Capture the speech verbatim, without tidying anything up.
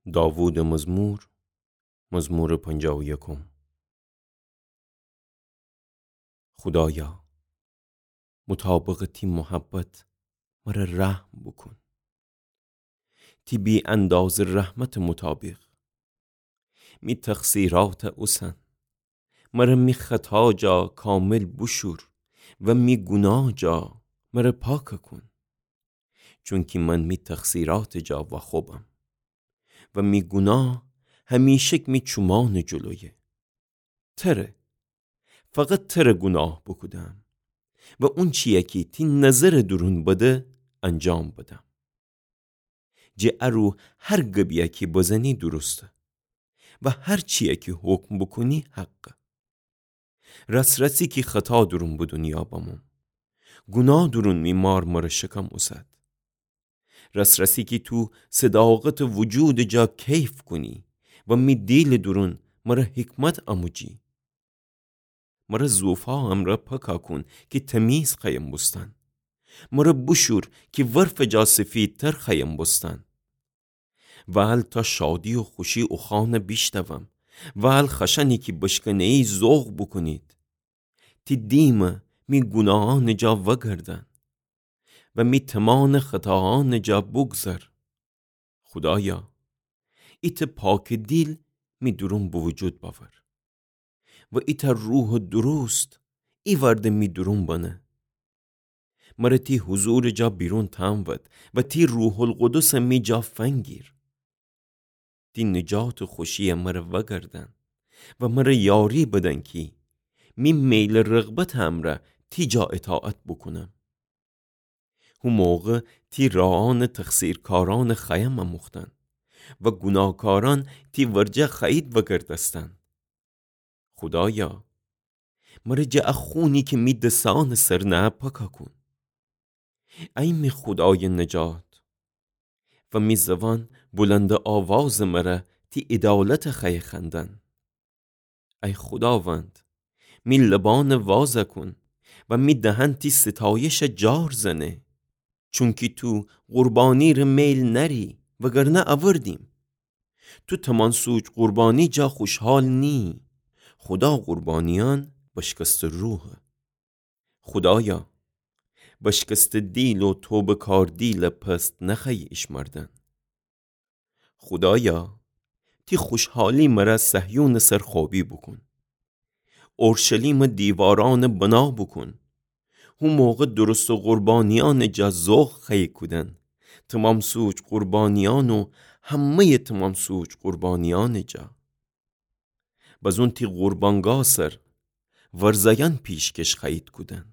داوودٚ مزمور، مزمورٚ پنجاه و یکم. خودایا، مطابقٚ تی محبت مره رحم بوکون. تی بی‌اندازه رحمتٚ مطابق می تقصیرات اوسن. مره می خطا جا کامل بوشور و می گوناه جا مره پاک کون. چونکی من می تقصیراتٚ جا واخوبم و می گوناه همیشک می چومانٚ جلویه. تره، فقط تره گوناه بوکودم و اونچیی کی تی نظرٚ دورون بده انجام بدم. جٚه ا رو هر گبیی کی بزنی درسته و هر چیی کی حکم بوکونی حقه. راس‌راسی کی خطا دورون به دونیا بموم، گوناه دورون می مار مره شکم اوسد. راس‌راسی کی تو صداقتٚ وجودٚ جا کیف کونی و می دیلٚ دورون مره حکمت اموجی. مره زوفا امرأ پاکا کون کی تمیز خأیم بوستن. مره بوشور کی ورفٚ جا سفیدتر خأیم بوستن. وال تا شادی و خوشی اوخوأن بیشنوم. وال خشأنی کی بشکنه‌یی ذوق بوکونید. تی دیم می گوناهأنٚ جا وأگردن و می تمانٚ خطاهأنٚ جا بوگذر. خودایا، ایتأ پاکٚ دیل می دورون به وجود بأور و ایتأ روحٚ درست ایوأرده می دورون بنه. مره تی حضورٚ جا بیرون تأنود و تی روح‌القدسٚ می جا فنگیر. تی نجاتٚ خوشیی مره وأگردن و مره یاری بدن کی می میلٚ رغبتٚ امرأ تی جا اطاعت بوکونم. هو موقع تی راهأنٚ تقصیرکارأنٚ خأیم اموختن و گوناهکارأن تی ورجه خأیید وأگردستن. خودایا، مره جٚه ا خونی کی می دسأنٚ سر نهه پاکا کون. ای می خودایٚ نجات، و می زوان بلندٚ آوازٚ مره تی عدالتٚ خأیه خوأندن. ای خوداوند، می لبأن وازَ کون و می دهن تی ستایشٚ جار زنه. چونکی تو قربانی‌ره میل نأری، وگرنه اوردیم. تو تمام‌سوج قربانی جا خوشحال نییی. خودا قربانیأن بشکستٚ روحه. خودایا، بشکستٚ دیل و توبه‌کار دیل پست نخوأیی ایشمردن. خودایا، تی خوشحالی مره صهیونٚ سر خوأبی بوکون. اورشلیمٚ دیوارأن بنا بوکون. هو موقع درستٚ قربانیأنٚ جا ذوق خوأیی کودن، تمام‌سوج قربانیأن و همه‌یٚ تمام‌سوج قربانیأنٚ جا. بزون تی قربانگاه سر ورزه‌یأن پیشکش خوأیید کودن.